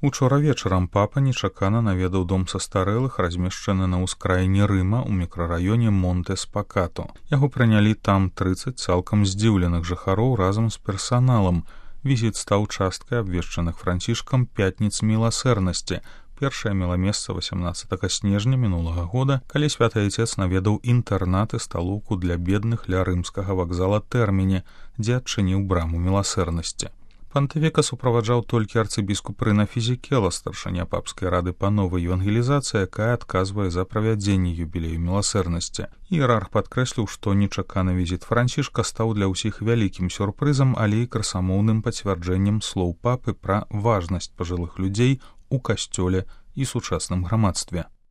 Учора вечарам папа нечакана наведаў дом састарэлых, размешчаны на ўскраіне Рыма ў мікрараёне Монте-Спакато. Яго прынялі там 30 цалкам здзіўленых жыхароў разам з персаналам. Візіт стаў часткай абвешчаных Францішкам пятніц міласэрнасці. Першае мела месца 18 снежня мінулага года, калі святы айцец наведаў інтэрнат і сталоўку для бедных ля рымскага вакзала Тэрміні, дзе адчыніў браму міласэрнасці. Пантыфіка суправаджаў толькі арцыбіскуп Рына Фізікела, старшыня папскай рады па новай евангелізацыі, якая адказвае за правядзенне юбілею міласэрнасці. Іерарх падкрэсліў, што нечаканы візіт Францішка стаў для ўсіх вялікім сюрпрызам, але і красамоўным пацвярджэннем слоў папы пра важнасць пажылых людзей у касцёле і сучасным грамадстве.